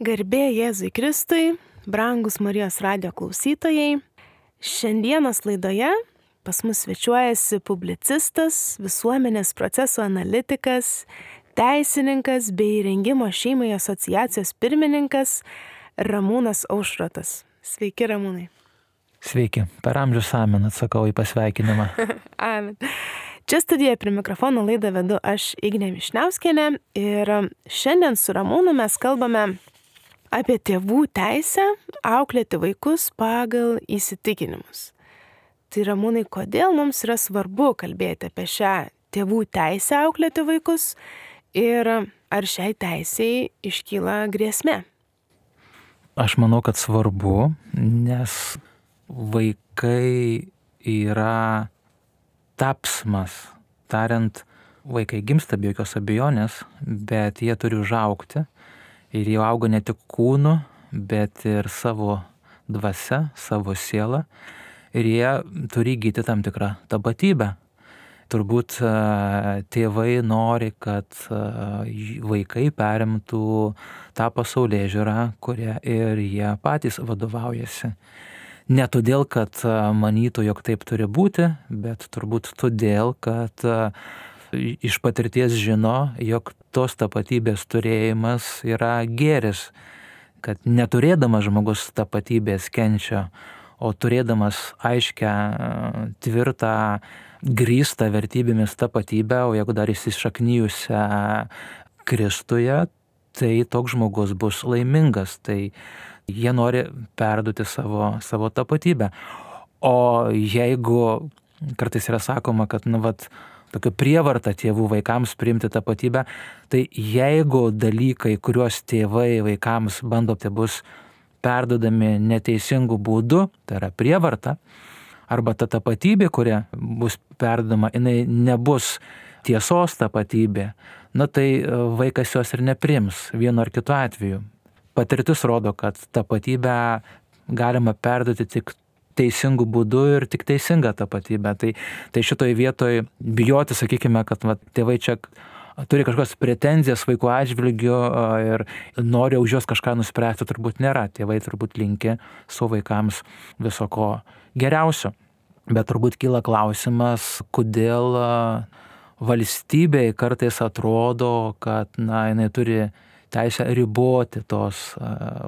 Garbė Jėzui Kristui, brangus Marijos radijo klausytojai. Šiandienos laidoje pas mus svečiuojasi publicistas, visuomenės procesų analitikas, teisininkas bei Rengimo šeimai asociacijos pirmininkas Ramūnas Aušrotas. Sveiki, Ramūnai. Sveiki, per amžius amen atsakau į pasveikinimą. Amen. Čia studijoje prie mikrofono laidą vedu aš Ignė Višniauskienė ir šiandien su Ramūnu mes kalbame apie tėvų teisę auklėti vaikus pagal įsitikinimus. Tai Ramūnai, kodėl mums yra svarbu kalbėti apie šią tėvų teisę auklėti vaikus ir ar šiai teisei iškyla grėsmė? Aš manau, kad svarbu, nes vaikai yra tapsmas. Tariant, vaikai gimsta be jokios abejonės, bet jie turi užaugti. Ir jie auga ne tik kūnu, bet ir savo dvasia, savo sielą. Ir jie turi įgyti tam tikrą tapatybę. Turbūt tėvai nori, kad vaikai perimtų tą pasaulėžiūrą, kurią ir jie patys vadovaujasi. Ne todėl, kad manytų, jog taip turi būti, bet turbūt todėl, kad iš patirties žino, jog tos tapatybės turėjimas yra gėris, kad neturėdamas žmogus tapatybės kenčia, o turėdamas aiškę, tvirtą, grįstą vertybėmis tapatybę, o jeigu dar įsišaknijusią Kristuje, tai toks žmogus bus laimingas. Tai jie nori perduoti savo tapatybę. O jeigu kartais yra sakoma, kad tokia prievarta tėvų vaikams priimti tapatybę, tai jeigu dalykai, kuriuos tėvai vaikams bando, tai bus perdodami neteisingų būdų, tai yra prievarta, arba ta tapatybė, kuria bus perdodama, jinai nebus tiesos tapatybė, tai vaikas jos ir nepriims vienu ar kitu atveju. Patirtis rodo, kad tapatybę galima perduoti tik teisingų būdų ir tik teisingą tapatybę. Tai šitoj vietoj bijoti, sakykime, kad tėvai čia turi kažkokias pretenzijas vaikų atžvilgiu ir nori už juos kažką nuspręsti, turbūt nėra. Tėvai turbūt linki savo vaikams viso ko geriausio. Bet turbūt kyla klausimas, kodėl valstybei kartais atrodo, kad jinai turi teisę riboti tos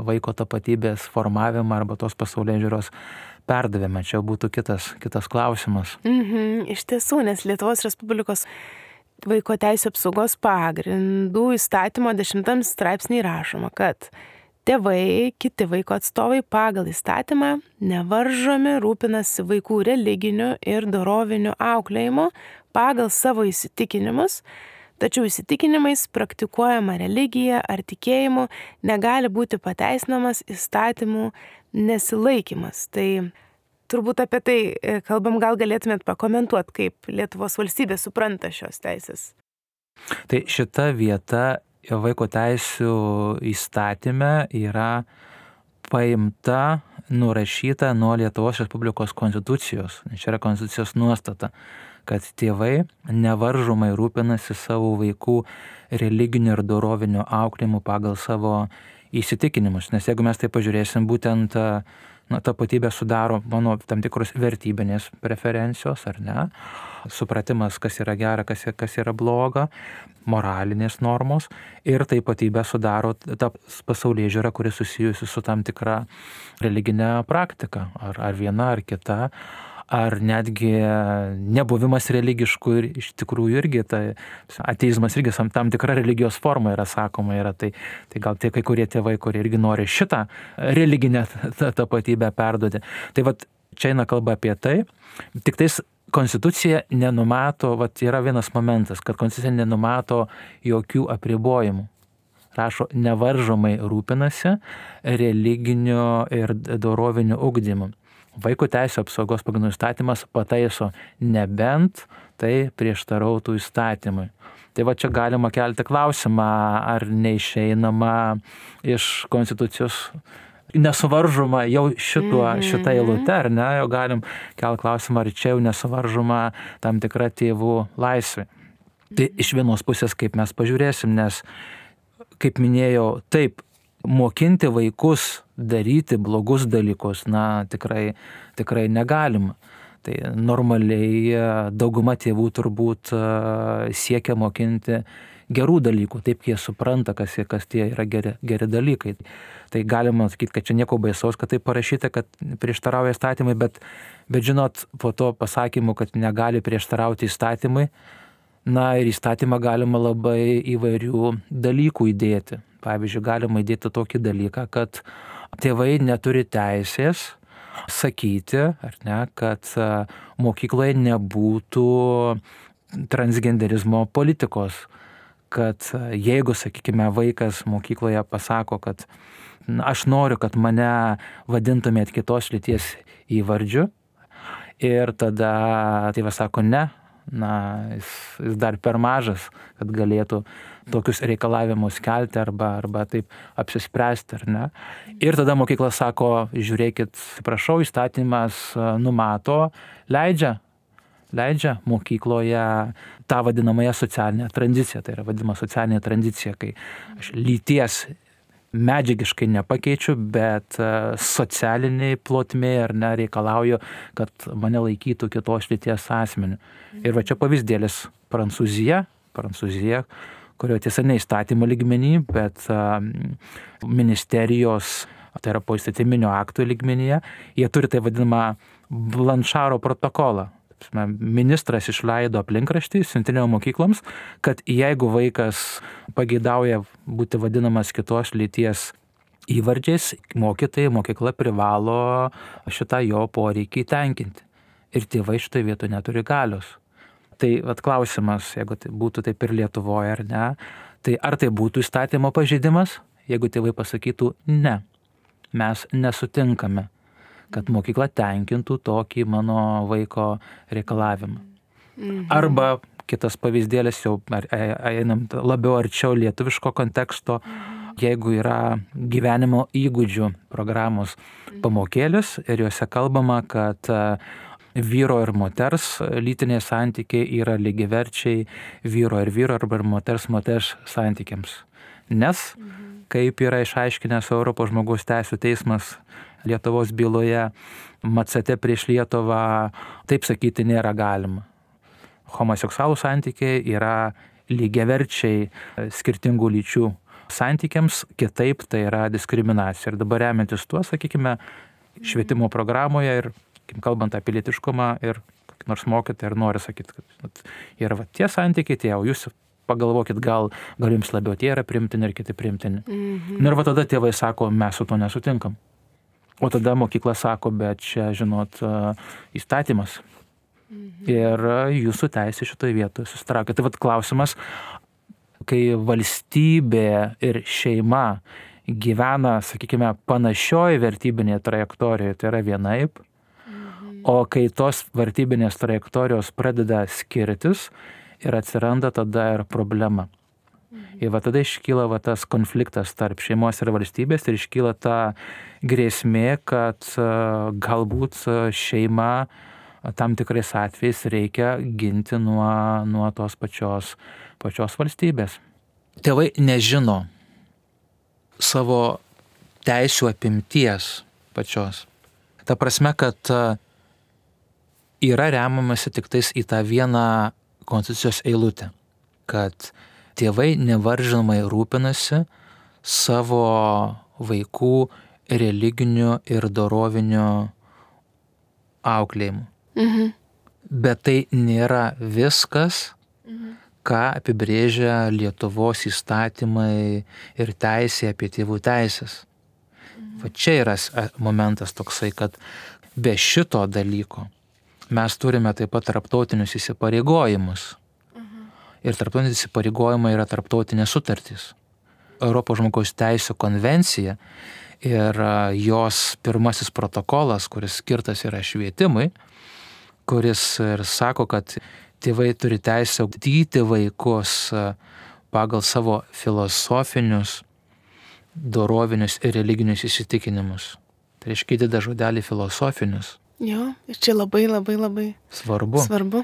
vaiko tapatybės formavimą arba tos pasaulėžiūros perdavimą. Čia būtų kitas klausimas. Iš tiesų, nes Lietuvos Respublikos vaiko teisių apsaugos pagrindų įstatymo 10 straipsnį rašoma, kad tėvai, kiti vaiko atstovai pagal įstatymą nevaržomi rūpinasi vaikų religiniu ir doroviniu auklėjimu pagal savo įsitikinimus, tačiau įsitikinimais praktikuojama religija ar tikėjimu negali būti pateisinamas įstatymų nesilaikymas. Tai turbūt apie tai kalbam, gal galėtumėt pakomentuoti, kaip Lietuvos valstybė supranta šios teisės. Tai šita vieta vaiko teisių įstatyme yra paimta, nurašyta nuo Lietuvos Respublikos konstitucijos. Čia yra konstitucijos nuostata, kad tėvai nevaržomai rūpinasi savo vaikų religiniu ir doroviniu auklėjimu pagal savo įsitikinimus. Nes jeigu mes tai pažiūrėsim, būtent tapatybę sudaro mano tam tikros vertybinės preferencijos, ar ne? Supratimas, kas yra gera, kas yra bloga, moralinės normos ir tapatybę sudaro ta pasaulėžiūra, kuri susijusi su tam tikra religinė praktika, ar viena, ar kita. Ar netgi nebuvimas religiškų ir iš tikrųjų irgi, ateizmas irgi tam tikra religijos forma yra sakoma. Tai gal tie kai kurie tėvai, kurie irgi nori šitą religinę tapatybę perduoti. Tai čia eina kalba apie tai. Tik tais konstitucija nenumato, yra vienas momentas, kad konstitucija nenumato jokių apribojimų. Rašo, nevaržomai rūpinasi religiniu ir doroviniu ugdymu. Vaiko teisių apsaugos pagrindų įstatymas pataiso, nebent tai prieštarautų įstatymui. Tai čia galima kelti klausimą, ar neišeinama iš konstitucijos nesuvaržoma jau šitą eilutę, ar ne? Jau galim kelti klausimą, ar čia jau nesuvaržoma tam tikra tėvų laisvė. Tai iš vienos pusės, kaip mes pažiūrėsim, nes, kaip minėjau, taip, mokinti vaikus daryti blogus dalykus, tikrai negalima. Tai normaliai dauguma tėvų turbūt siekia mokinti gerų dalykų, taip jie supranta, kas tie yra geri dalykai. Tai galima sakyti, kad čia nieko baisaus, kad tai parašyta, kad prieštarauja įstatymai, bet žinot, po to pasakymu, kad negali prieštarauti įstatymai, ir įstatymą galima labai įvairių dalykų įdėti. Pavyzdžiui, galima įdėti tokį dalyką, kad tėvai neturi teisės sakyti, ar ne, kad mokykloje nebūtų transgenderizmo politikos. Kad jeigu, sakykime, vaikas mokykloje pasako, kad aš noriu, kad mane vadintumėt kitos lyties įvardžiu, ir tada tėvas sako ne, jis dar per mažas, kad galėtų tokius reikalavimus kelti arba taip apsispręsti, ar ne. Ir tada mokykla sako, žiūrėkit, prašau, įstatymas numato, leidžia mokykloje tą vadinamąją socialinę tranziciją. Tai yra vadinama socialinė tranzicija, kai aš lyties medžiagiškai nepakeičiu, bet socialiniai plotmėje ar ne reikalauju, kad mane laikytų kitos lyties asmeniu. Ir va čia pavyzdėlis Prancūzija, kurioje tiesa ne įstatymo lygmenį, bet ministerijos, tai yra poįstatyminio aktų lygmenyje, jie turi tai vadinamą Blanšaro protokolą. Ministras išleido aplinkraštį siuntinėjo mokykloms, kad jeigu vaikas pageidauja būti vadinamas kitos lyties įvardžiais, mokykla privalo šitą jo poreikį tenkinti. Ir tėvai šitoje vietoje neturi galios. Tai klausimas, jeigu tai būtų taip ir Lietuvoje ar ne, tai ar tai būtų įstatymo pažeidimas, jeigu tėvai pasakytų ne, mes nesutinkame, kad mokykla tenkintų tokį mano vaiko reikalavimą. Arba kitas pavyzdėlis, jau einam labiau arčiau lietuviško konteksto, jeigu yra gyvenimo įgūdžių programos pamokėlis ir juose kalbama, kad vyro ir moters lytiniai santykiai yra lygiaverčiai vyro arba moters santykiams. Nes, kaip yra išaiškinęs Europos žmogaus teisių teismas Lietuvos byloje Macate prieš Lietuvą, taip sakyti nėra galima. Homoseksualų santykiai yra lygiaverčiai skirtingų lyčių santykiams, kitaip tai yra diskriminacija. Ir dabar remiantis tuo, sakykime, švietimo programoje ir kalbant apie lytiškumą ir nors mokytojai ir nori sakyti, kad yra tie santykiai, tie, o jūs pagalvokit, gal jums labiau tie yra priimtini ir kiti priimtini. Ir tada tėvai sako, mes su to nesutinkam. O tada mokykla sako, bet čia, žinot, įstatymas. Ir jūsų teisė šitoje vietoje susitraukia. Tai klausimas, kai valstybė ir šeima gyvena, sakykime, panašioje vertybinėje trajektorijoje, tai yra vienaip, o kai tos vertybinės trajektorijos pradeda skirtis ir atsiranda tada ir problema. Ir tada iškyla tas konfliktas tarp šeimos ir valstybės ir iškyla ta grėsmė, kad galbūt šeima tam tikrais atvejais reikia ginti nuo tos pačios valstybės. Tėvai nežino savo teisių apimties pačios. Ta prasme, kad yra remiamasi tik tais į tą vieną konstitucijos eilutę, kad tėvai nevaržomai rūpinasi savo vaikų religiniu ir doroviniu auklėjimu. Bet tai nėra viskas, ką apibrėžia Lietuvos įstatymai ir teisė apie tėvų teisės. Va čia yra momentas toksai, kad be šito dalyko mes turime taip pat tarptautinius įsipareigojimus. Ir tarptautiniai įsipareigojimai yra tarptautinės sutartys. Europos žmogaus teisių konvencija ir jos pirmasis protokolas, kuris skirtas yra švietimui, kuris ir sako, kad tėvai turi teisę ugdyti vaikus pagal savo filosofinius, dorovinius ir religinius įsitikinimus. Tai reiškia įdeda žodelį filosofinius. Jo, ir čia labai svarbu.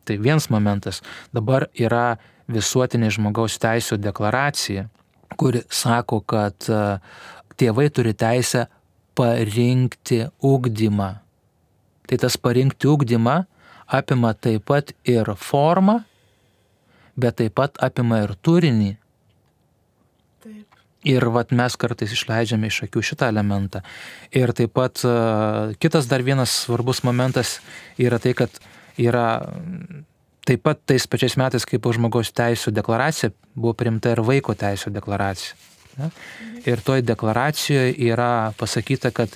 Tai vienas momentas. Dabar yra visuotinė žmogaus teisių deklaracija, kuri sako, kad tėvai turi teisę parinkti ugdymą. Tai tas parinkti ugdymą apima taip pat ir formą, bet taip pat apima ir turinį. Taip. Ir mes kartais išleidžiame iš akių šitą elementą. Ir taip pat kitas dar vienas svarbus momentas yra tai, kad yra taip pat tais pačiais metais, kaip žmogaus teisų deklaracija, buvo priimta ir vaiko teisų deklaracija. Ne? Ir toj deklaracijoje yra pasakyta, kad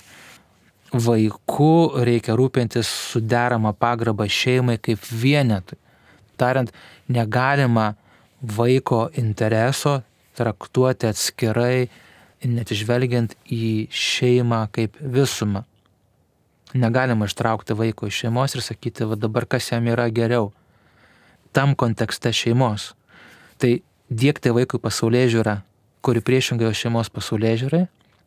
vaiku reikia rūpintis su derama pagarba šeimai kaip vienetui. Tariant, negalima vaiko intereso traktuoti atskirai, net žvelgiant į šeimą kaip visumą. Negalima ištraukti vaiko iš šeimos ir sakyti, va dabar kas jam yra geriau. Tam kontekste šeimos. Tai diegti vaikui pasaulėžiūrą, kuri priešingai šeimos pasaulėžiūrai,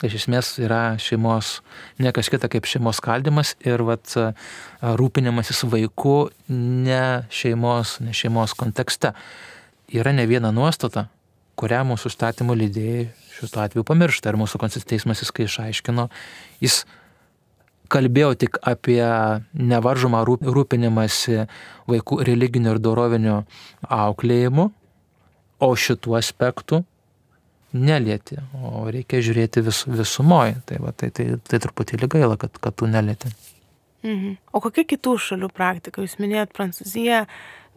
iš esmės yra šeimos, ne kas kita kaip šeimos skaldymas ir rūpinimasis vaiku ne šeimos kontekste. Yra ne viena nuostata, kurią mūsų įstatymų leidėjai šituo atveju pamiršta. Ir mūsų konstitucinis teismas, kai išaiškino, jis kalbėjo tik apie nevaržomą rūpinimąsi vaikų religiniu ir doroviniu auklėjimu, o šitų aspektų nelieti, o reikia žiūrėti visumoje. Tai truputėlį gaila, kad tu nelieti. O kokia kitų šalių praktika? Jūs minėjot Prancūziją.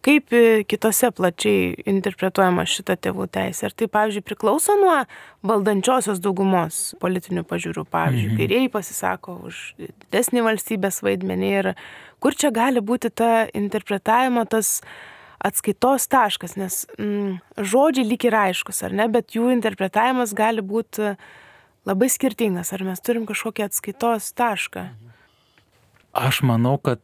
Kaip kitose plačiai interpretuojama šita tėvų teisė? Ar tai, pavyzdžiui, priklauso nuo valdančiosios daugumos politinių pažiūrų? Pavyzdžiui, kairieji pasisako už didesnį valstybės vaidmenį ir kur čia gali būti ta interpretavimo, tas atskaitos taškas, nes žodžiai lyg ir aiškus, ar ne, bet jų interpretavimas gali būti labai skirtingas. Ar mes turim kažkokį atskaitos tašką? Aš manau, kad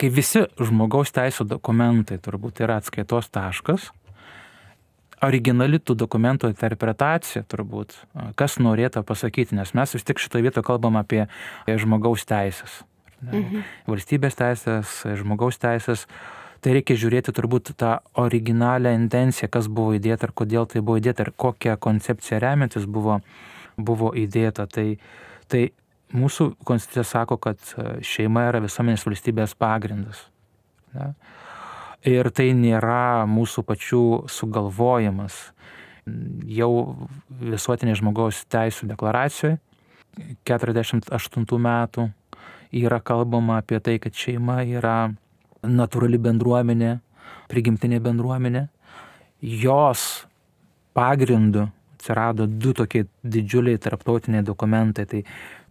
kai visi žmogaus teisų dokumentai turbūt yra atskaitos taškas, originali tų dokumentų interpretacija turbūt, kas norėtų pasakyti, nes mes vis tik šitoje vietoje kalbam apie žmogaus teisės. Valstybės teisės, žmogaus teisės, tai reikia žiūrėti turbūt tą originalią intenciją, kas buvo įdėta ir kodėl tai buvo įdėta ir kokią koncepciją remiantis buvo įdėta. Tai mūsų konstitucija sako, kad šeima yra visuomenės valstybės pagrindas. Ne? Ir tai nėra mūsų pačių sugalvojimas. Jau visuotinė žmogaus teisų deklaracijoje 48 metų yra kalbama apie tai, kad šeima yra natūrali bendruomenė, prigimtinė bendruomenė. Jos pagrindu atsirado du tokie didžiuliai tarptautiniai dokumentai. Tai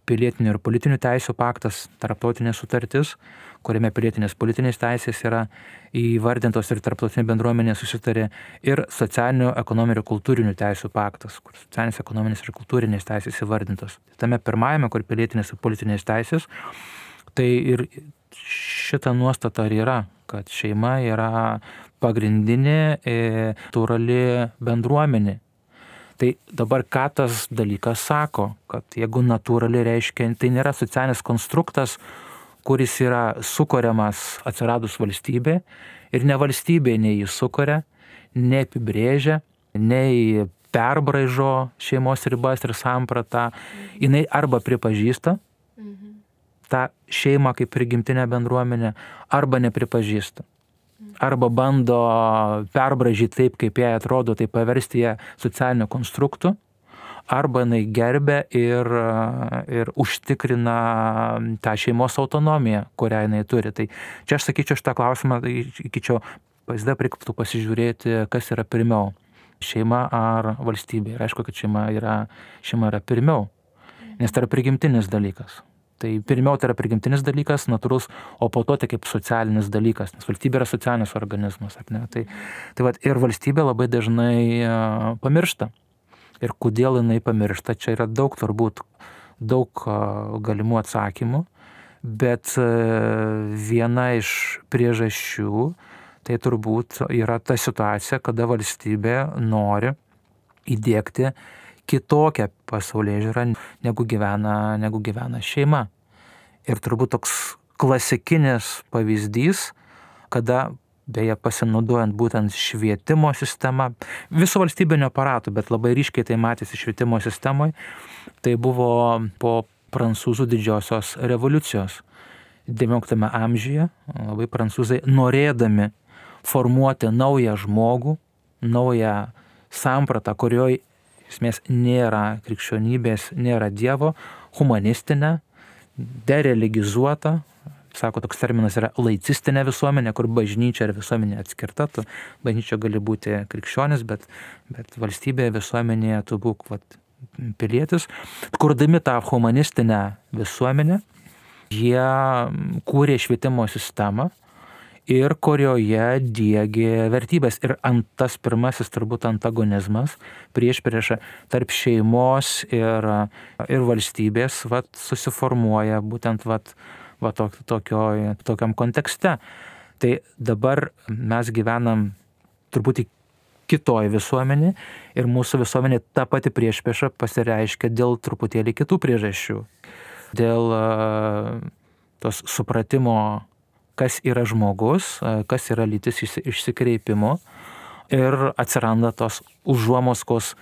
pilietinių ir politinių teisų paktas, tarptautinė sutartis, kuriame pilietinės politinės teisės yra įvardintos ir tarptautinė bendruomenė susitarė, ir socialinių, ekonominių ir kultūrinių teisų paktas, kur socialinės, ekonominės ir kultūrinės teisės įvardintos. Tame pirmajame, kur pilietinės ir politinės teisės, tai ir šita nuostata yra, kad šeima yra pagrindinė natūrali bendruomenė. Tai dabar ką tas dalykas sako, kad jeigu natūrali reiškia, tai nėra socialinis konstruktas, kuris yra sukuriamas atsiradus valstybė ir ne valstybė nei jį sukuria, nei apibrėžia, nei perbraižo šeimos ribas ir sampratą. Jinai arba pripažįsta tą šeimą kaip prigimtinę bendruomenę, arba nepripažįsta. Arba bando perbražyti taip, kaip jai atrodo, tai paversti ją socialiniu konstruktu, arba jinai gerbia ir užtikrina tą šeimos autonomiją, kurią jinai turi. Tai čia aš sakyčiau šitą klausimą, pavyzdžiui, reikėtų pasižiūrėti, kas yra pirmiau, šeima ar valstybė. Ir aišku, kad šeima yra pirmiau, nes tai yra prigimtinis dalykas. Tai pirmiau tai yra prigimtinis dalykas, natūrus, o po to tai kaip socialinis dalykas, nes valstybė yra socialinis organizmas. Ar ne? Tai ir valstybė labai dažnai pamiršta. Ir kodėl jinai pamiršta, čia yra daug galimų atsakymų, bet viena iš priežasčių tai turbūt yra ta situacija, kada valstybė nori įdiegti kitokią pasaulėžiūrą, negu gyvena šeima. Ir turbūt toks klasikinis pavyzdys, kada beje pasinaudojant būtent švietimo sistema, viso valstybinio aparato, bet labai ryškiai tai matėsi švietimo sistemoje, tai buvo po prancūzų didžiosios revoliucijos. XIX amžiuje labai prancūzai norėdami formuoti naują žmogų, naują sampratą, kurioje esmės nėra krikščionybės, nėra Dievo, humanistinę, dereligizuotą, sako, toks terminas yra laicistinė visuomenė, kur bažnyčia ir visuomenė atskirta, tu bažnyčia gali būti krikščionis, bet valstybėje, visuomenėje tu būk pilietis. Kurdami tą humanistinę visuomenę, jie kūrė švietimo sistemą ir kurioje diegė vertybės. Ir tas pirmasis turbūt antagonizmas, priešprieša tarp šeimos ir valstybės susiformuoja būtent tokiam kontekste. Tai dabar mes gyvenam truputį kitoj visuomenė ir mūsų visuomenė ta pati priešprieša pasireiškia dėl truputėlį kitų priežasčių. Dėl tos supratimo, kas yra žmogus, kas yra lytis išsikreipimo ir atsiranda tos užuomaskos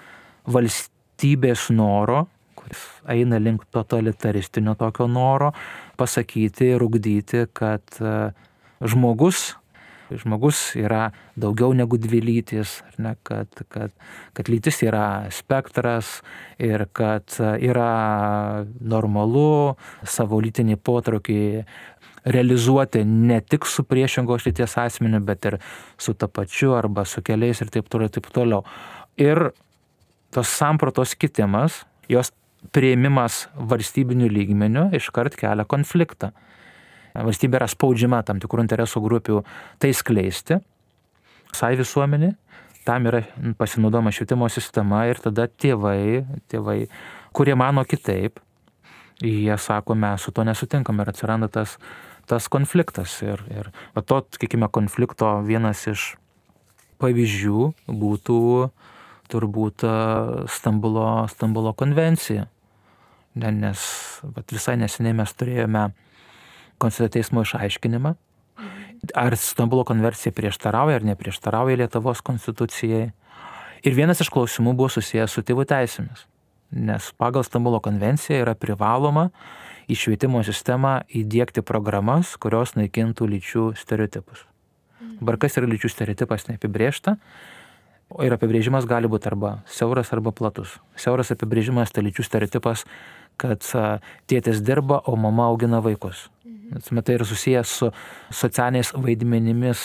valstybės noro, kuris eina link totalitaristinio tokio noro pasakyti ir ugdyti, kad žmogus yra daugiau negu dvi lytis, ar ne, kad lytis yra spektras ir kad yra normalu savo lytinį potraukį realizuoti ne tik su priešingos lyties asmeniu, bet ir su tapačiu arba su keliais ir taip toliau. Ir tos sampratos kitimas, jos priėmimas valstybinių lygmenių iškart kelia konfliktą. Valstybė yra spaudžiama tam tikrų interesų grupių tai skleisti, visai visuomenė, tam yra pasinaudojama švietimo sistema ir tada tėvai, kurie mano kitaip, jie sako, mes su to nesutinkam ir atsiranda tas konfliktas. Ir to, sakykime, konflikto vienas iš pavyzdžių būtų turbūt Stambulo konvencija. Nes visai neseniai mes turėjome Konstitucinio teismo išaiškinimą, ar Stambulo konvencija prieštarauja ar neprieštarauja Lietuvos konstitucijai. Ir vienas iš klausimų buvo susijęs su tėvų teisėmis, nes pagal Stambulo konvenciją yra privaloma į švietimo sistemą įdiegti programas, kurios naikintų lyčių stereotipus. Dabar kas yra lyčių stereotipas neapibrėžta, ir apibrėžimas gali būti arba siauras, arba platus. Siauras apibrėžimas tai lyčių stereotipas, kad tėtis dirba, o mama augina vaikus. Tai yra susijęs su socialiniais vaidmenimis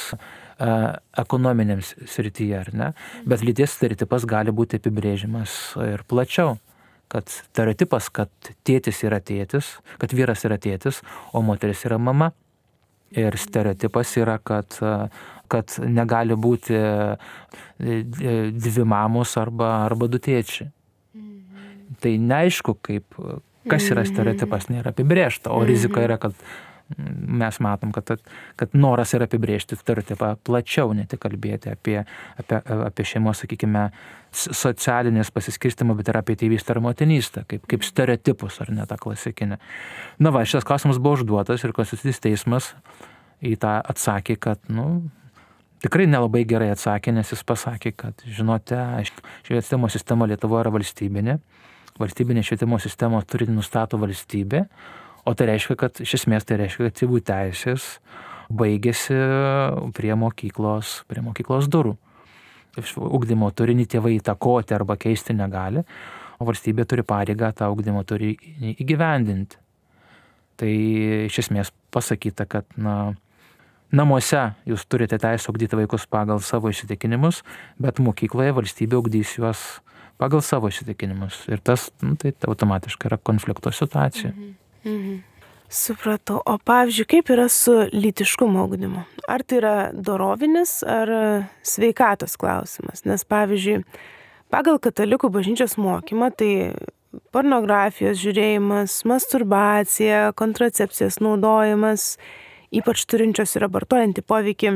ekonominėms srityje, ar ne? Bet lyties stereotipas gali būti apibrėžimas ir plačiau. Kad stereotipas, kad tėtis yra tėtis, kad vyras yra tėtis, o moteris yra mama. Ir stereotipas yra, kad negali būti dvi mamos arba du tėčiai. Tai neaišku, kas yra stereotipas, nėra apibrėžta, o rizika yra, kad mes matom, kad noras yra apibrėžti stereotipą plačiau, ne tik kalbėti apie šeimos, sakykime, socialinės pasiskirstymą, bet ir apie tėvystę ar motinystę, kaip stereotipus, ar ne tą klasikinę. Šitas klausimas buvo užduotas ir Konstitucinis teismas į tą atsakė, kad, tikrai nelabai gerai atsakė, nes jis pasakė, kad, žinote, švietimo sistema Lietuvoje yra valstybinė. Valstybinė švietimo sistema turi nustato valstybė, o tai reiškia, kad iš esmės tai reiškia, kad tėvų teisės baigėsi prie mokyklos durų. Ugdymo turinį tėvai įtakoti arba keisti negali, o valstybė turi pareigą tą ugdymo turinį įgyvendinti. Tai iš esmės pasakyta, kad namuose jūs turite teisę ugdyti vaikus pagal savo įsitikinimus, bet mokykloje valstybė ugdys juos pagal savo įsitikinimus. Ir tas tai automatiškai yra konflikto situacija. Supratau. O pavyzdžiui, kaip yra su lytiškumo ugdymu? Ar tai yra dorovinis ar sveikatos klausimas? Nes pavyzdžiui, pagal katalikų bažnyčios mokymą, tai pornografijos žiūrėjimas, masturbacija, kontracepcijos naudojimas, ypač turinčios ir abortuojantį poveikį,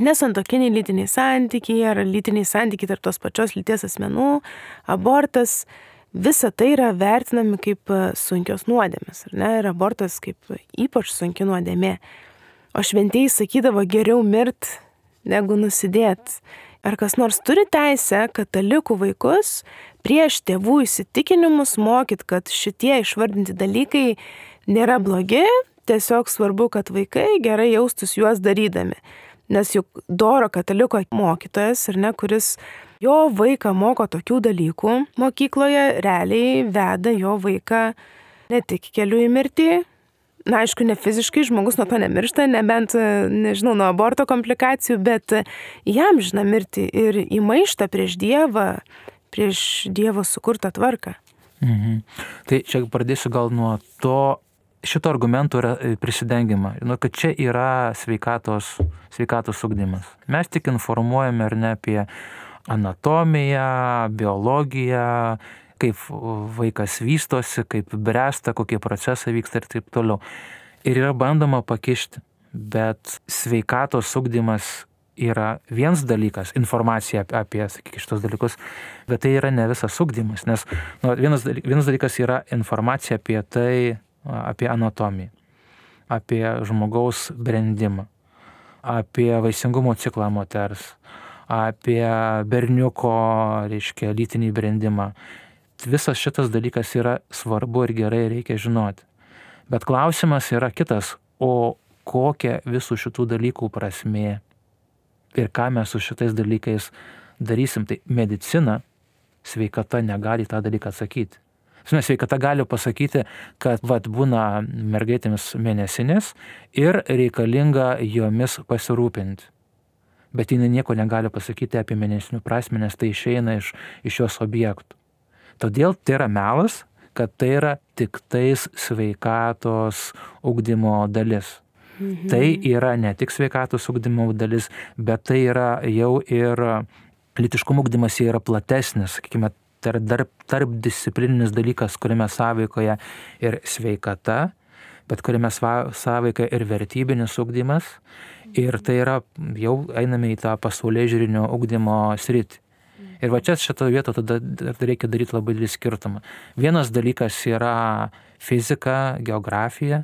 nesantuokiniai lytiniai santykiai ar lytiniai santykiai tarp tos pačios lyties asmenų, abortas, visa tai yra vertinami kaip sunkios nuodėmės, ar ne? Ir abortas kaip ypač sunki nuodėmė. O šventieji sakydavo, geriau mirt negu nusidėti. Ar kas nors turi teisę katalikų vaikus prieš tėvų įsitikinimus mokyti, kad šitie išvardinti dalykai nėra blogi, tiesiog svarbu, kad vaikai gerai jaustus juos darydami. Nes juk doro kataliko mokytojas, ar ne, kuris jo vaiką moko tokių dalykų mokykloje, realiai veda jo vaiką ne tik keliu į mirtį. Na, aišku, ne fiziškai, žmogus nuo to nemiršta, nebent, nežinau, nuo aborto komplikacijų, bet jam žina mirti ir į maištą prieš Dievą, prieš Dievo sukurtą tvarką. Tai čia pradėsiu gal nuo to, šito argumento yra prisidengimą, kad čia yra sveikatos ugdymas. Mes tik informuojame ar ne apie anatomiją, biologiją, kaip vaikas vystosi, kaip bręsta, kokie procesai vyksta ir taip toliau. Ir yra bandoma pakišti, bet sveikatos ugdymas yra vienas dalykas, informacija apie šitos dalykus, bet tai yra ne visas ugdymas, nes vienas dalykas yra informacija apie tai, apie anatomiją, apie žmogaus brendimą, apie vaisingumo ciklą moters, apie berniuko, lytinį brendimą. Visas šitas dalykas yra svarbu ir gerai reikia žinoti. Bet klausimas yra kitas, o kokia visų šitų dalykų prasmė ir ką mes su šitais dalykais darysim. Tai medicina, sveikata negali tą dalyką atsakyti. Sveikata gali pasakyti, kad būna mergaitėmis mėnesinės ir reikalinga jomis pasirūpinti. Bet jinai nieko negali pasakyti apie mėnesinių prasmę, nes tai išeina iš jos objektų. Todėl tai yra melas, kad tai yra tik tais sveikatos ugdymo dalis. Tai yra ne tik sveikatos ugdymo dalis, bet tai yra jau ir lytiškumo ugdymas yra platesnis, sakykime, tarp disciplininis dalykas, kuriame sąveikoje ir sveikata, bet kuriame sąveikoje ir vertybinis ugdymas. Ir tai yra, jau einame į tą pasaulėžiūrinio ugdymo sritį. Ir čia šitoje vietoje tada reikia daryti labai didelį skirtumą. Vienas dalykas yra fizika, geografija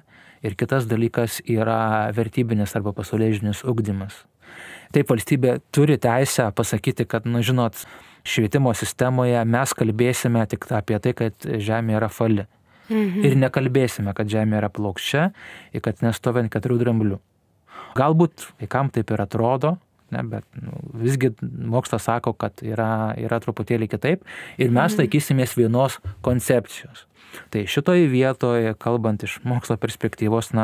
ir kitas dalykas yra vertybinis arba pasaulėžiūrinis ugdymas. Taip, valstybė turi teisę pasakyti, kad, žinot, švietimo sistemoje mes kalbėsime tik apie tai, kad Žemė yra fali. Ir nekalbėsime, kad Žemė yra plokščia ir kad nestovi ant 4 dramblių. Galbūt vaikam taip ir atrodo, bet visgi mokslas sako, kad yra truputėlį kitaip ir mes laikysimės vienos koncepcijos. Tai šitoje vietoje, kalbant iš mokslo perspektyvos,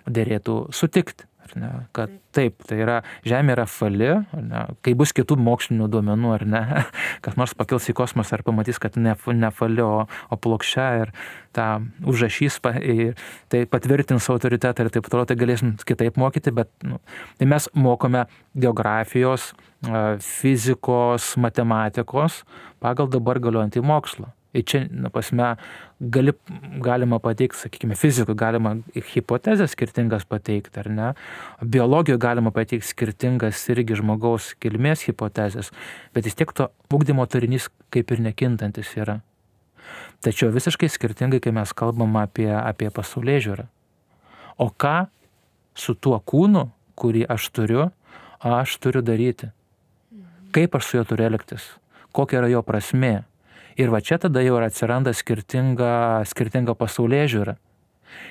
derėtų sutikti, kad taip, tai yra Žemė yra fali, kai bus kitų mokslinių duomenų, ar ne, kas nors pakils į kosmosą ir pamatys, kad ne fali, o plokščia ir tą užrašys, tai patvirtins autoritetą ir taip toliau, tai galėsim kitaip mokyti, bet tai mes mokome geografijos, fizikos, matematikos pagal dabar galiojantį mokslą. Ir čia, galima pateikti, sakykime, fizikui galima hipotezės skirtingas pateikti, ar ne? Biologijoje galima pateikti skirtingas irgi žmogaus kilmės hipotezės, bet vis tiek to ugdymo turinys kaip ir nekintantis yra. Tačiau visiškai skirtingai, kai mes kalbam apie pasaulėžiūrą. O ką su tuo kūnu, kurį aš turiu daryti? Kaip aš su juo turiu elgtis? Kokia yra jo prasmė? Ir čia tada jau atsiranda skirtinga pasaulėžiūra.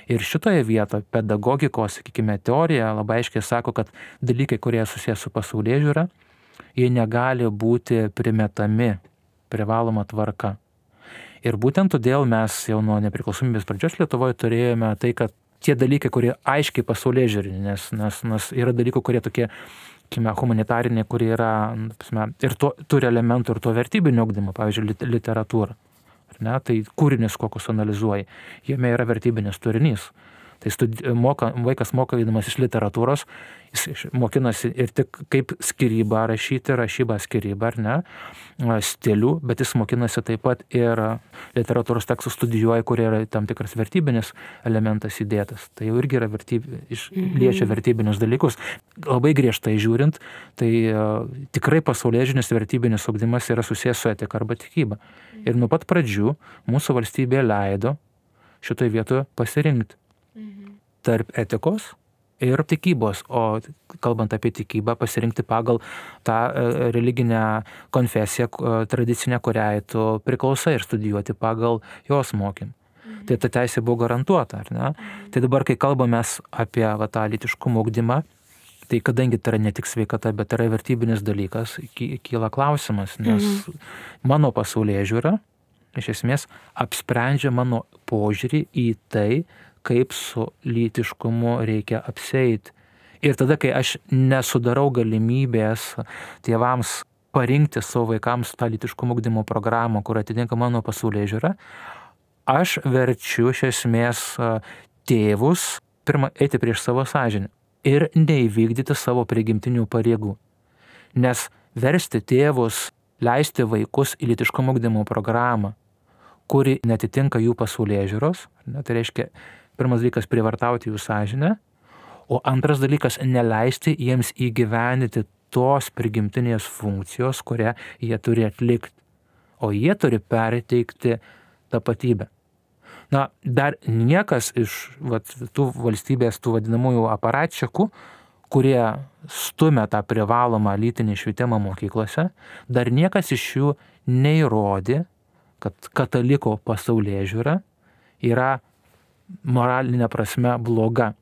Ir šitoje vietoje pedagogikos, sakykime, teorija labai aiškiai sako, kad dalykai, kurie susijęs su pasaulėžiūra, jie negali būti primetami privaloma tvarka. Ir būtent todėl mes jau nuo nepriklausomybės pradžios Lietuvoje turėjome tai, kad tie dalykai, kurie aiškiai pasaulėžiūriniai, nes yra dalykų, kurie tokie humanitariniai, kurie yra ir turi elementų ir to vertybinio ugdymo, pavyzdžiui, literatūra. Tai kūrinius, kokius analizuoji, jame yra vertybinis turinys. Tai vaikas mokydamas iš literatūros, jis mokinasi ir tik kaip skyrybą rašyti, rašybą skyrybą, ar ne, stilių, bet jis mokinasi taip pat ir literatūros tekstų studijuoja, kurie yra tam tikras vertybinis elementas įdėtas. Tai jau irgi yra liečia vertybinius dalykus. Labai griežtai žiūrint, tai tikrai pasaulėžinis vertybinis ugdymas yra susijęs su etika arba tikyba. Ir nuo pat pradžių mūsų valstybė leido šitoje vietoje pasirinkti tarp etikos ir tikybos, o kalbant apie tikybą, pasirinkti pagal tą religinę konfesiją tradicinę, kuriai tu priklausai ir studijuoti pagal jos mokymą. Tai ta teisė buvo garantuota, ar ne? Tai dabar, kai kalbame apie tą lytiškumo ugdymą, tai kadangi tai yra ne tik sveikata, bet yra vertybinis dalykas, kyla klausimas, nes mano pasaulėžiūra iš esmės apsprendžia mano požiūrį į tai, kaip su lytiškumu reikia apsieiti. Ir tada, kai aš nesudarau galimybės tėvams parinkti savo vaikams tą lytiškumo ugdymo programą, kur atitinka mano pasaulėžiūra, aš verčiu iš esmės tėvus pirmą eiti prieš savo sąžinę ir neįvykdyti savo prigimtinių pareigų. Nes versti tėvus leisti vaikus į lytiškumo ugdymo programą, kuri netitinka jų pasaulėžiūros, tai reiškia, pirmas dalykas prievartauti jų sąžinę, o antras dalykas neleisti jiems įgyvendinti tos prigimtinės funkcijos, kurią jie turi atlikti, o jie turi perteikti tapatybę. Na, dar niekas iš tų valstybės, tų vadinamųjų aparatčikų, kurie stumia tą privalomą lytinį švietimą mokyklose, dar niekas iš jų neįrodė, kad kataliko pasaulėžiūra yra moralinė prasme bloga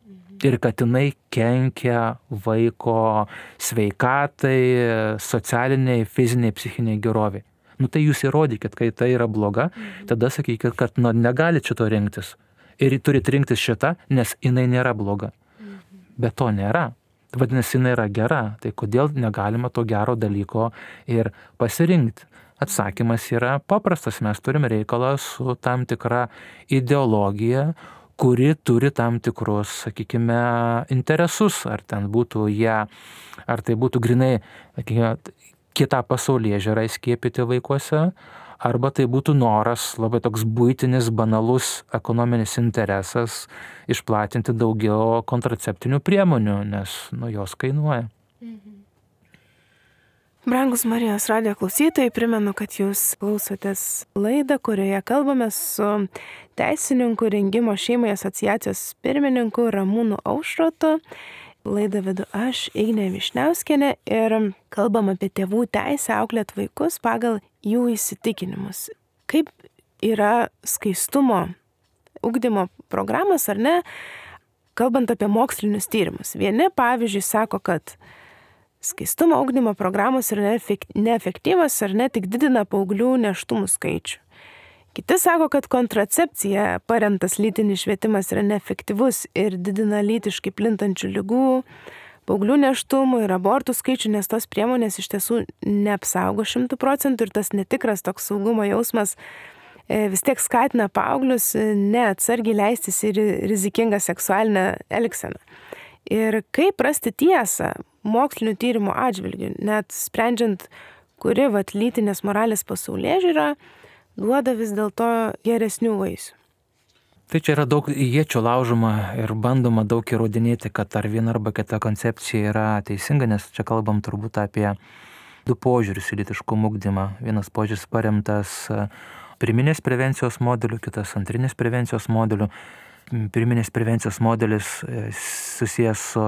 ir kad jinai kenkia vaiko sveikatai, socialiniai, fiziniai, psichiniai geroviai. Tai jūs įrodykit, kai tai yra bloga, tada sakykit, kad negali šito rinktis. Ir turit rinktis šitą, nes jinai nėra bloga. Bet to nėra. Vadinasi, jinai yra gera. Tai kodėl negalima to gero dalyko ir pasirinkti? Atsakymas yra paprastas. Mes turime reikalą su tam tikra ideologija, kuri turi tam tikrus, sakykime, interesus. Ar ten būtų ar tai būtų grinai, sakykime, kitą pasaulėžiūrą įskiepyti vaikuose, arba tai būtų noras, labai toks buitinis, banalus ekonominis interesas išplatinti daugiau kontraceptinių priemonių, nes jos kainuoja. Brangus Marijos radijo klausytojai, primenu, kad jūs klausotės laidą, kurioje kalbame su teisininku Rengimo šeimai asociacijos pirmininku Ramūnu Aušrotu. Laidą vedu aš, Ignė Višniauskienė, ir kalbam apie tėvų teisę auklėti vaikus pagal jų įsitikinimus. Kaip yra skaistumo ugdymo programos, ar ne, kalbant apie mokslinius tyrimus. Vieni, pavyzdžiui, sako, kad skaistumo ugdymo programos yra neefektyvas ar ne tik didina paauglių nėštumų skaičių. Kiti sako, kad kontracepcija paremtas lytinis švietimas yra neefektyvus ir didina lytiškai plintančių ligų, paauglių nėštumų ir abortų skaičių, nes tos priemonės iš tiesų neapsaugo 100% ir tas netikras toks saugumo jausmas vis tiek skatina paauglius neatsargiai leistis į rizikingą seksualinę elgseną. Ir kaip rasti tiesą mokslinių tyrimų atžvilgių, net sprendžiant, kuri lytinės moralės pasaulėžiūra duoda vis dėlto geresnių vaisių. Tai čia yra daug iečių laužoma ir bandoma daug įrodinėti, kad ar viena arba kita koncepcija yra teisinga, nes čia kalbam turbūt apie du požiūrius į lytiškumo ugdymą. Vienas požiūris paremtas pirminės prevencijos modeliu, kitas antrinės prevencijos modeliu. Pirminės prevencijos modelis susijęs su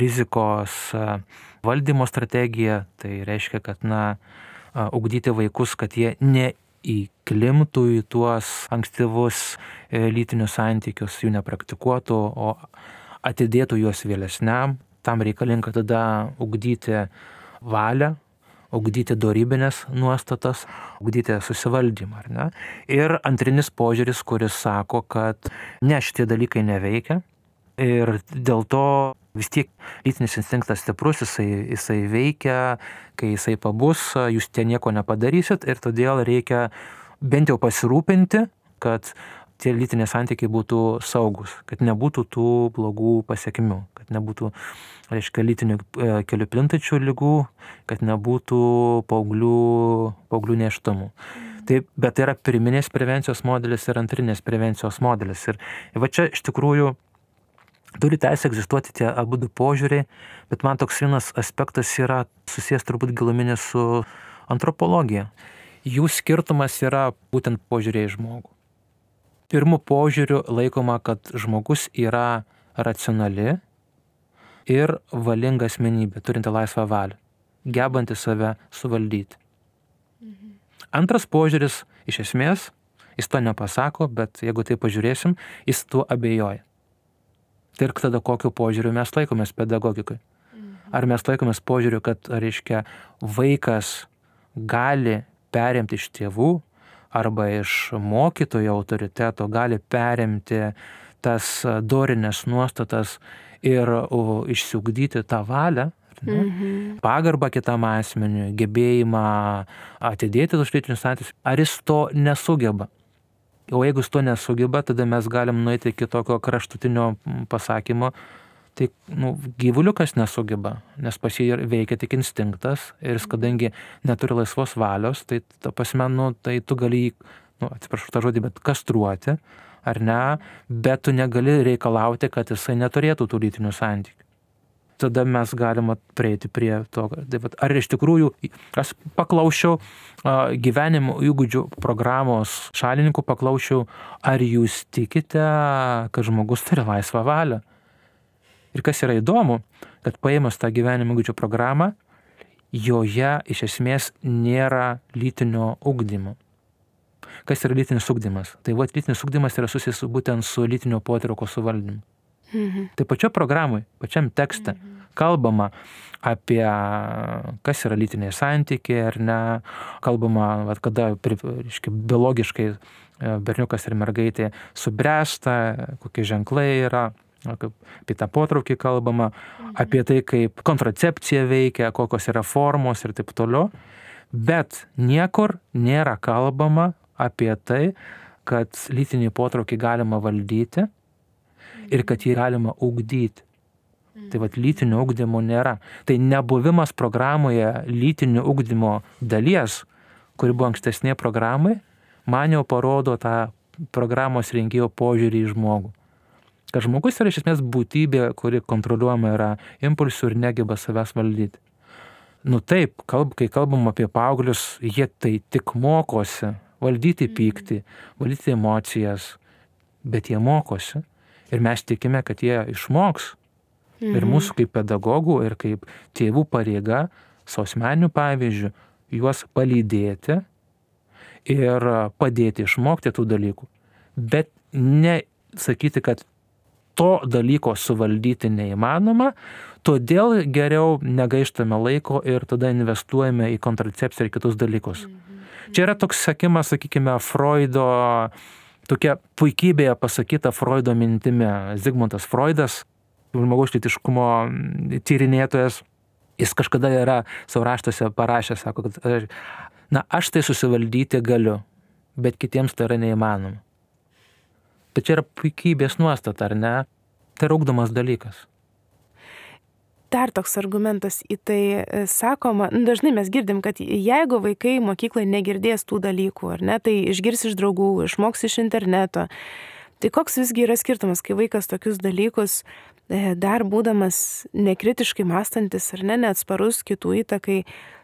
rizikos valdymo strategija, tai reiškia, kad ugdyti vaikus, kad jie neįklimtų į tuos ankstyvus lytinius santykius, jų nepraktikuotų, o atidėtų juos vėlesniam. Tam reikalinga tada ugdyti valią, ugdyti dorybinės nuostatas, ugdyti susivaldymą, ar ne? Ir antrinis požiūris, kuris sako, kad ne, šitie dalykai neveikia ir dėl to vis tiek lytinis instinktas stiprus, jisai veikia, kai jisai pabus, jūs tie nieko nepadarysit ir todėl reikia bent jau pasirūpinti, kad tie lytiniai santykiai būtų saugus, kad nebūtų tų blogų pasekmių, kad nebūtų, reiškia, lytinių kelių plintančių ligų, kad nebūtų paauglių nėštumų. Bet tai yra pirminės prevencijos modelis ir antrinės prevencijos modelis. Ir va čia iš tikrųjų turi teisę egzistuoti tie abu du požiūriai, bet man toks vienas aspektas yra susijęs turbūt giluminis su antropologija. Jų skirtumas yra būtent požiūriai į žmogų. Pirmu požiūriu laikoma, kad žmogus yra racionali, ir valinga asmenybė, turinti laisvą valią, gebanti save suvaldyti. Antras požiūris, iš esmės, jis to nepasako, bet jeigu tai pažiūrėsim, jis tuo abejoja. Tai ir tada kokiu požiūriu mes laikomės pedagogikai? Ar mes laikomės požiūriu, kad, reiškia, vaikas gali perimti iš tėvų arba iš mokytojo autoriteto, gali perimti tas dorinės nuostatas ir išsiugdyti tą valią, pagarbą kitam asmeniui, gebėjimą atidėti tuos lytinius santykius, ar jis to nesugeba? O jeigu jis to nesugeba, tada mes galim nueiti iki tokio kraštutinio pasakymo, tai gyvuliukas nesugeba, nes pas jį veikia tik instinktas ir jis, kadangi neturi laisvos valios, tai ta prasme, tai tu gali jį, atsiprašau tą žodį, bet kastruoti, ar ne, bet tu negali reikalauti, kad jisai neturėtų tų lytinių santykių. Tada mes galime prieiti prie to, ar iš tikrųjų, aš paklausčiau gyvenimo įgūdžių programos šalininkų, paklausčiau, ar jūs tikite, kad žmogus turi laisvą valią. Ir kas yra įdomu, kad paėmus tą gyvenimo įgūdžių programą, joje iš esmės nėra lytinio ugdymo. Kas yra lytinis ugdymas? Tai lytinis ugdymas yra susijęs būtent su lytinio potraukio suvaldymu. Tai pačioje programoje, pačiam tekste kalbama apie kas yra lytiniai santykiai ar ne, kalbama, kada biologiškai berniukas ir mergaitė subręsta, kokie ženklai yra, apie tą potraukį kalbama, apie tai, kaip kontracepcija veikia, kokios yra formos ir taip toliau, bet niekur nėra kalbama apie tai, kad lytinį potraukį galima valdyti ir kad jį galima ugdyti. Tai lytinio ugdymo nėra. Tai nebuvimas programoje lytinio ugdymo dalies, kuri buvo ankstesnėje programai, man jau parodo tą programos rengėjo požiūrį į žmogų. Kad žmogus yra iš esmės būtybė, kuri kontroliuojama yra impulsų ir negeba savęs valdyti. Taip, kai kalbam apie paauglius, jie tai tik mokosi valdyti pyktį, valdyti emocijas, bet jie mokosi. Ir mes tikime, kad jie išmoks. Ir mūsų kaip pedagogų ir kaip tėvų pareiga, savo asmeniniu pavyzdžiu, juos palydėti ir padėti išmokti tų dalykų. Bet ne sakyti, kad to dalyko suvaldyti neįmanoma, todėl geriau negaištame laiko ir tada investuojame į kontracepciją ir kitus dalykus. Čia yra toks sakymas, sakykime, Freudo, tokia puikybėje pasakyta Freudo mintimi. Zigmundas Freudas, žmogaus lytiškumo tyrinėtojas, jis kažkada yra savo raštuose parašęs, sako, kad aš tai susivaldyti galiu, bet kitiems tai yra neįmanoma. Tai čia yra puikybės nuostata, ar ne? Tai yra ugdomas dalykas. Dar toks argumentas į tai sakoma, dažnai mes girdim, kad jeigu vaikai mokyklai negirdės tų dalykų, ar ne, tai išgirs iš draugų, išmoks iš interneto. Tai koks visgi yra skirtumas, kai vaikas tokius dalykus, dar būdamas nekritiškai mąstantis ar ne, neatsparus kitų įtakai,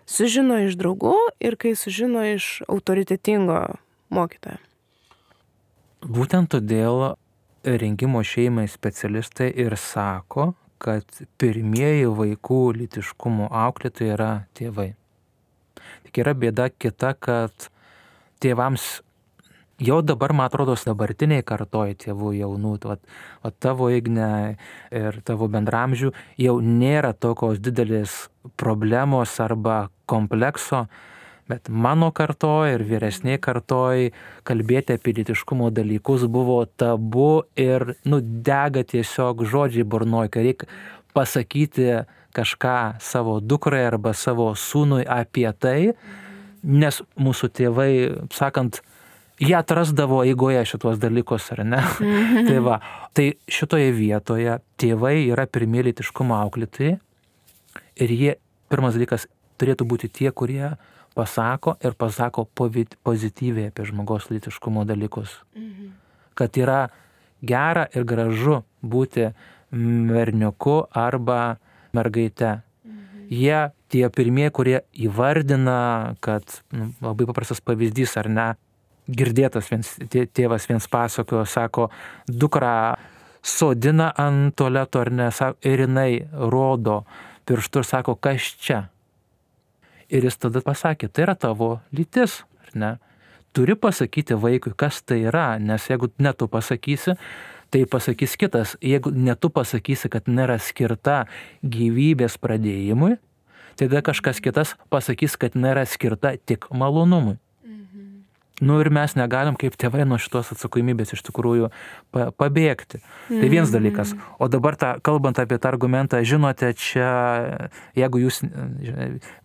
sužino iš draugų ir kai sužino iš autoritetingo mokytojo? Būtent todėl rengimo šeimai specialistai ir sako, kad pirmieji vaikų lytiškumo auklėtojai yra tėvai. Tik yra bėda kita, kad tėvams jau dabar, man atrodo, dabartiniai kartoj tėvų jaunų, tavo Igne ir tavo bendramžių, jau nėra tokios didelės problemos arba komplekso, bet mano kartoj ir vyresniai kartoj kalbėti apie lytiškumo dalykus buvo tabu ir dega tiesiog žodžiai burnoj, kai reikia pasakyti kažką savo dukrai arba savo sūnui apie tai, nes mūsų tėvai, sakant, jie atrasdavo eigoje šitos dalykus, ar ne? Tai šitoje vietoje tėvai yra pirmieji lytiškumo auklėtojai ir jie, pirmas dalykas, turėtų būti tie, kurie pasako ir pasako pozityviai apie žmogaus lytiškumo dalykus. Kad yra gera ir gražu būti berniuku arba mergaite. Jie tie pirmieji, kurie įvardina, kad labai paprastas pavyzdys, ar ne, girdėtas tėvas viens pasakojo, sako, dukra sodina ant tualeto ar ne, ir jinai rodo pirštu ir sako, kas čia. Ir jis tada pasakė, tai yra tavo lytis, ar ne? Turi pasakyti vaikui, kas tai yra, nes jeigu ne tu pasakysi, tai pasakys kitas. Jeigu ne tu pasakysi, kad nėra skirta gyvybės pradėjimui, tada kažkas kitas pasakys, kad nėra skirta tik malonumui. Ir mes negalim kaip tėvai nuo šitos atsakomybės iš tikrųjų pabėgti. Tai vienas dalykas. O dabar kalbant apie tą argumentą, žinote, čia, jeigu jūs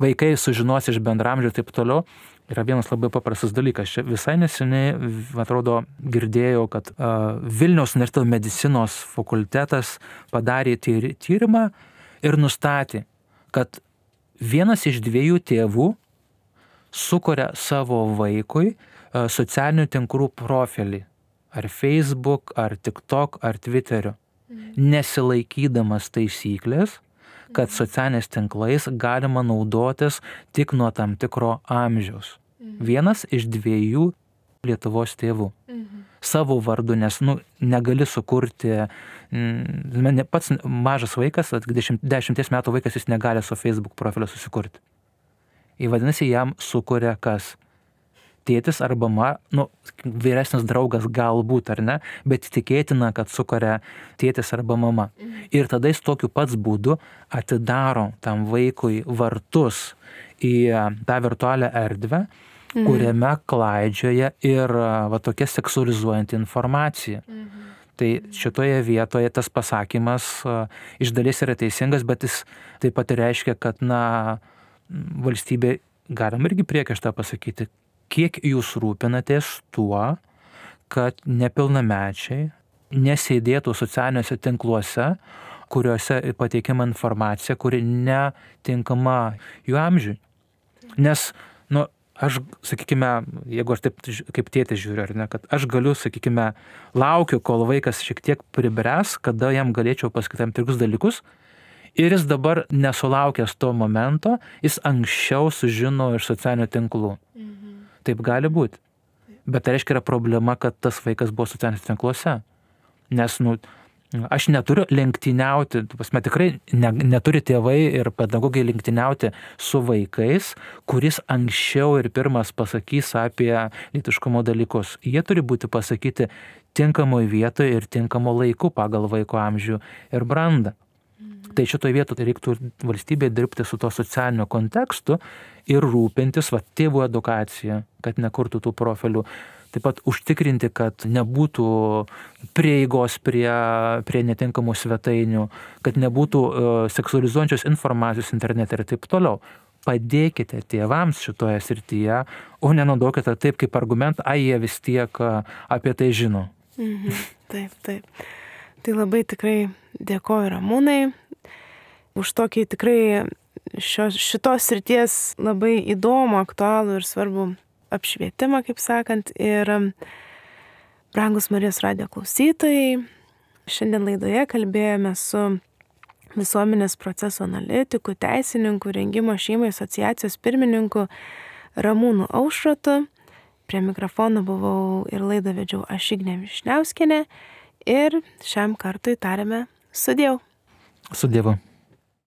vaikai sužinos iš bendramžių ir taip toliau, yra vienas labai paprastas dalykas. Čia visai neseniai, atrodo, girdėjau, kad Vilniaus universiteto medicinos fakultetas padarė tyrimą ir nustatė, kad vienas iš 2 tėvų sukuria savo vaikui socialinių tinklų profilį, ar Facebook, ar TikTok, ar Twitteriu, nesilaikydamas taisyklės, kad socialiniais tinklais galima naudotis tik nuo tam tikro amžiaus. Vienas iš 2 Lietuvos tėvų. Savo vardu, nes negali sukurti, pats mažas vaikas, 10 metų vaikas, jis negali su Facebook profilio susikurti. Vadinasi, jam sukuria kas? Tėtis arba vyresnis draugas galbūt, ar ne, bet tikėtina, kad sukuria tėtis arba mama. Ir tada jis tokiu pats būdu atidaro tam vaikui vartus į tą virtualią erdvę, kuriame klaidžioja ir tokia seksualizuojanti informacija. Tai šitoje vietoje tas pasakymas iš dalies yra teisingas, bet jis taip pat reiškia, kad valstybė, galim irgi priekaištą pasakyti, kiek jūs rūpinatės tuo, kad nepilnamečiai nesėdėtų socialiniuose tinkluose, kuriuose pateikiama informacija, kuri netinkama jų amžiui. Nes, aš, sakykime, jeigu aš taip kaip tėtis žiūriu, ar ne, kad aš galiu, sakykime, laukiu, kol vaikas šiek tiek pribręs, kada jam galėčiau pasakyti tam tikrus dalykus, ir jis dabar nesulaukęs to momento, jis anksčiau sužino iš socialinių tinklų. Taip gali būti. Bet tai reiškia yra problema, kad tas vaikas buvo socialiniuose tinkluose. Nes, aš neturiu lenktyniauti, tikrai neturi tėvai ir pedagogai lenktyniauti su vaikais, kuris anksčiau ir pirmas pasakys apie lytiškumo dalykus. Jie turi būti pasakyti tinkamoje vietoje ir tinkamo laiku pagal vaiko amžių ir brandą. Tai šitoje vietoje reiktų valstybėje dirbti su to socialiniu kontekstu ir rūpintis tėvų edukacija, kad nekurtų tų profilių. Taip pat užtikrinti, kad nebūtų prieigos prie netinkamų svetainių, kad nebūtų seksualizuojančios informacijos internete ir taip toliau. Padėkite tėvams šitoje srityje, o nenaudokite taip kaip argumentą, jie vis tiek apie tai žino. Taip. Tai labai tikrai dėkoju Ramūnai už tokį tikrai šitos srities labai įdomų, aktualų ir svarbų apšvietimą, kaip sakant. Ir brangus Marijos radijo klausytojai, šiandien laidoje kalbėjome su visuomenės procesų analitiku, teisininku, Rengimo šeimai asociacijos pirmininku Ramūnu Aušrotu. Prie mikrofono buvau ir laidą vedžiau aš, Ignė Višniauskienė. Ir šiam kartui tariame sudiev. Su Dievu.